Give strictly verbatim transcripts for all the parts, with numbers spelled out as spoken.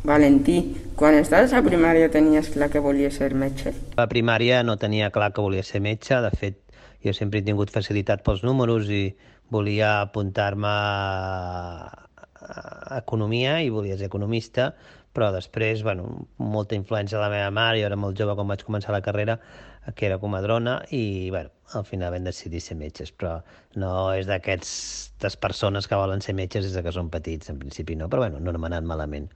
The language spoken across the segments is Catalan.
Valentí, quan estaves a primària tenies clar que volies ser metge? A primària no tenia clar que volia ser metge, de fet, jo sempre he tingut facilitat pels números i volia apuntar-me a economia i volia ser economista, però després, bueno, molta influència de la meva mare, jo era molt jove quan vaig començar la carrera, que era comadrona, i bueno, al final vam decidir ser metges, però no és d'aquestes persones que volen ser metges des que són petits, en principi no, però bueno, no m'ha anat malament.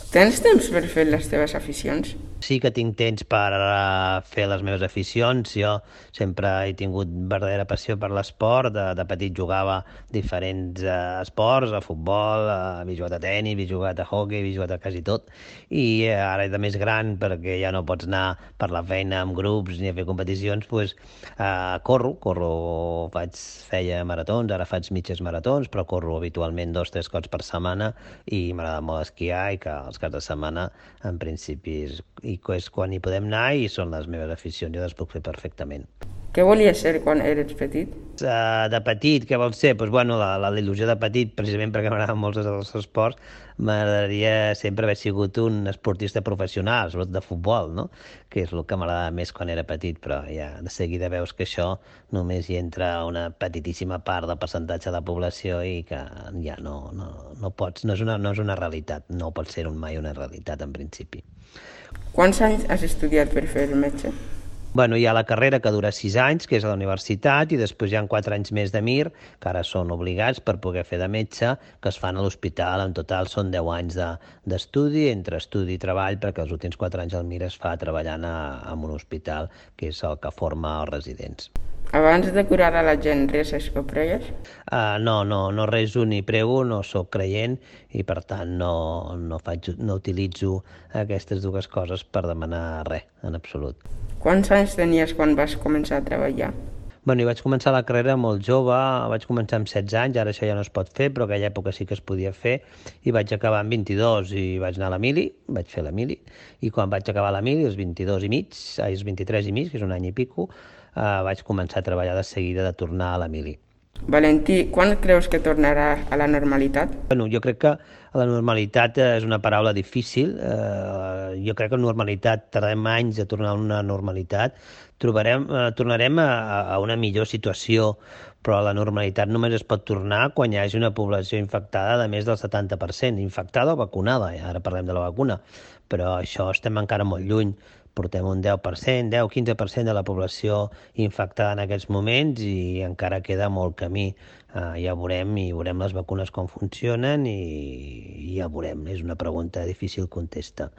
Tens temps per fer les teves aficions? Sí que tinc temps per uh, fer les meves aficions. Jo sempre he tingut verdadera passió per l'esport. De, de petit jugava diferents uh, esports, a futbol, uh, havia jugat a tenis, havia jugat a hockey, havia jugat a quasi tot. I uh, ara de més gran, perquè ja no pots anar per la feina amb grups ni a fer competicions, doncs uh, corro, corro, faig, feia maratons, ara faig mitges maratons, però corro habitualment dos o tres cops per setmana i m'agrada molt esquiar i que els caps de setmana en principi és, i és quan hi podem anar i són les meves aficions, jo les puc fer perfectament. Què volies ser quan eres petit? Uh, de petit, què vols ser? Pues, bueno, la, la, la il·lusió de petit, precisament perquè m'agraden molts dels esports, m'agradaria sempre haver sigut un esportista professional, sobretot de futbol, no? Que és el que m'agradava més quan era petit, però ja de seguida veus que això només hi entra una petitíssima part del percentatge de la població i que ja no, no, no pots, no és, una, no és una realitat, no pot ser un mai una realitat en principi. Quants anys has estudiat per fer metge? Bueno, hi ha la carrera que dura sis anys, que és a la universitat, i després hi ha quatre anys més de Mir, que ara són obligats per poder fer de metge, que es fan a l'hospital. En total són deu anys d'estudi, de, entre estudi i treball, perquè els últims quatre anys al Mir es fa treballant a, en un hospital, que és el que forma els residents. Abans de curar a la gent, reses o pregues? Uh, no, no, no reso ni prego, no sóc creient i per tant no, no, faig, no utilitzo aquestes dues coses per demanar res, en absolut. Quants anys tenies quan vas començar a treballar? Bueno, vaig començar la carrera molt jove, vaig començar amb setze anys, ara això ja no es pot fer, però en aquella època sí que es podia fer, i vaig acabar amb vint-i-dos i vaig anar a la mili, vaig fer la mili, i quan vaig acabar la mili, els vint-i-dos i mig, els vint-i-tres i mig, que és un any i pico, eh, vaig començar a treballar de seguida de tornar a la mili. Valentí, quan creus que tornarà a la normalitat? Bueno, jo crec que la normalitat és una paraula difícil. Eh, jo crec que la normalitat tardem anys a tornar a una normalitat. Trobarem, eh, tornarem a, a una millor situació, però la normalitat només es pot tornar quan hi hagi una població infectada de més del setanta per cent, infectada o vacunada, ara parlem de la vacuna, però això estem encara molt lluny. Portem un deu per cent, deu a quinze per cent de la població infectada en aquests moments i encara queda molt camí. Uh, ja veurem i veurem les vacunes com funcionen i, i ja veurem. És una pregunta difícil contestar.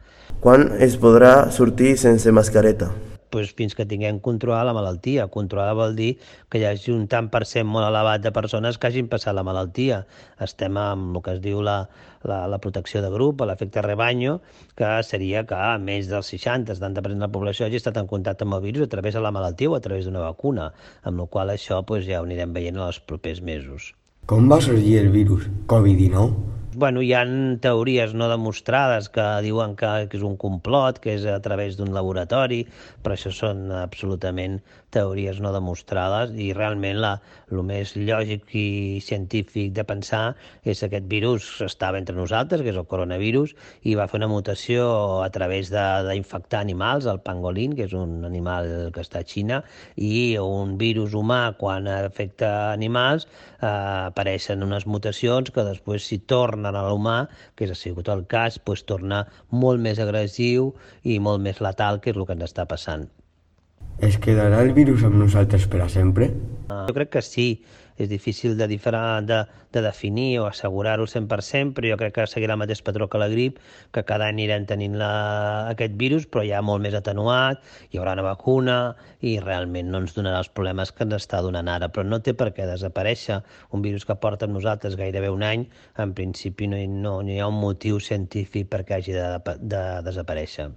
Quan es podrà sortir sense mascareta? Pues fins que tinguem controlar la malaltia. Controlar vol dir que hi hagi un tant per cent molt elevat de persones que hagin passat la malaltia. Estem amb el que es diu la, la, la protecció de grup, l'efecte rebanyo, que seria que més del seixanta a setanta per cent de la població hagi estat en contacte amb el virus a través de la malaltia o a través d'una vacuna, amb la qual això pues, ja ho anirem veient en els propers mesos. Com va sorgir el virus covid dinou? Bueno, hi ha teories no demostrades que diuen que, que és un complot, que és a través d'un laboratori, però això són absolutament teories no demostrades i realment la, el més lògic i científic de pensar és que aquest virus estava entre nosaltres, que és el coronavirus, i va fer una mutació a través d'infectar animals, el pangolín, que és un animal que està a Xina, i un virus humà, quan afecta animals, eh, apareixen unes mutacions que després si tornen a l'humà, que ha sigut el cas, doncs torna molt més agressiu i molt més letal, que és el que ens està passant. Es quedarà el virus amb nosaltres per a sempre? Uh, jo crec que sí. És difícil de, de, de definir o assegurar-ho al cent per cent, però jo crec que seguirà el mateix patró que la grip, que cada any anirem tenint la, aquest virus, però ja molt més atenuat, hi haurà una vacuna i realment no ens donarà els problemes que ens està donant ara, però no té per què desaparèixer. Un virus que porta amb nosaltres gairebé un any, en principi no hi, no, no hi ha un motiu científic perquè hagi de, de desaparèixer.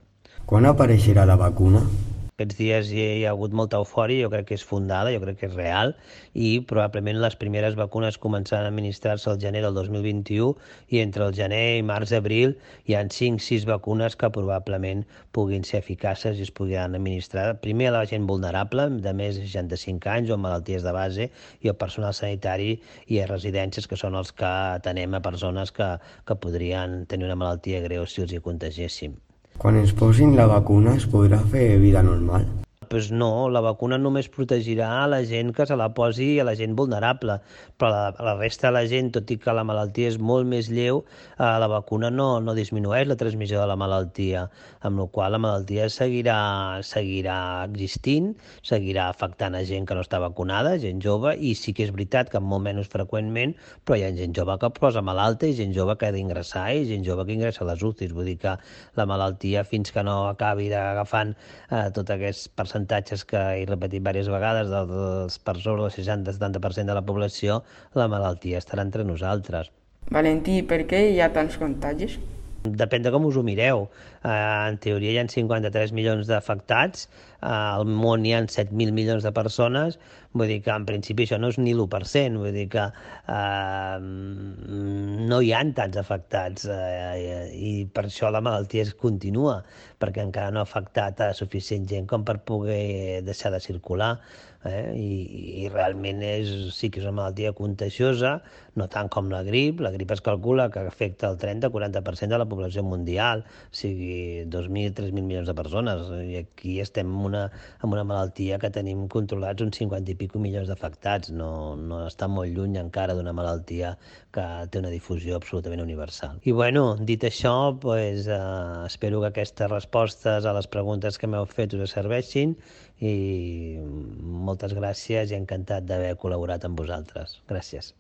Quan apareixerà la vacuna? Aquests dies hi ha hagut molta eufòria, jo crec que és fundada, jo crec que és real, i probablement les primeres vacunes començaran a administrar-se al gener del dos mil vint-i-u i entre el gener i març-abril hi ha cinc sis vacunes que probablement puguin ser eficaces i es puguin administrar primer a la gent vulnerable, de més de seixanta-cinc anys o amb malalties de base, i al personal sanitari i a residències, que són els que atenem a persones que, que podrien tenir una malaltia greu si els hi contagéssim. Quan ens posin la vacuna es podrà fer vida normal? Pues no, la vacuna només protegirà a la gent que se la posi a la gent vulnerable, però la, la resta de la gent, tot i que la malaltia és molt més lleu, eh, la vacuna no, no disminueix la transmissió de la malaltia, amb la qual la malaltia seguirà, seguirà existint, seguirà afectant a gent que no està vacunada, gent jove, i sí que és veritat que molt menys freqüentment, però hi ha gent jove que posa malalta i gent jove que ha d'ingressar i gent jove que ingressa a les U C Is, vull dir que la malaltia, fins que no acabi agafant eh, tot aquest percentatge que he repetit diverses vegades dels per sobre del seixanta setanta per cent de la població, la malaltia estarà entre nosaltres. Valentí, per què hi ha tants contagis? Depèn de com us ho mireu. Eh, en teoria hi ha cinquanta-tres milions d'afectats, eh, al món hi ha set mil milions de persones, vull dir que en principi això no és ni l'u per cent, vull dir que eh, no hi ha tants afectats eh, i per això la malaltia es continua, perquè encara no ha afectat a suficient gent com per poder deixar de circular. Eh? I, i realment és, sí que és una malaltia contagiosa, no tant com la grip. La grip es calcula que afecta el trenta a quaranta per cent de la població mundial, o sigui, dos mil a tres mil milions de persones, i aquí estem en una, en una malaltia que tenim controlats uns cinquanta i pico milions d'afectats, no, no està molt lluny encara d'una malaltia que té una difusió absolutament universal. I bueno, dit això, pues, eh, espero que aquestes respostes a les preguntes que m'heu fet us serveixin i moltes gràcies i encantat d'haver col·laborat amb vosaltres. Gràcies.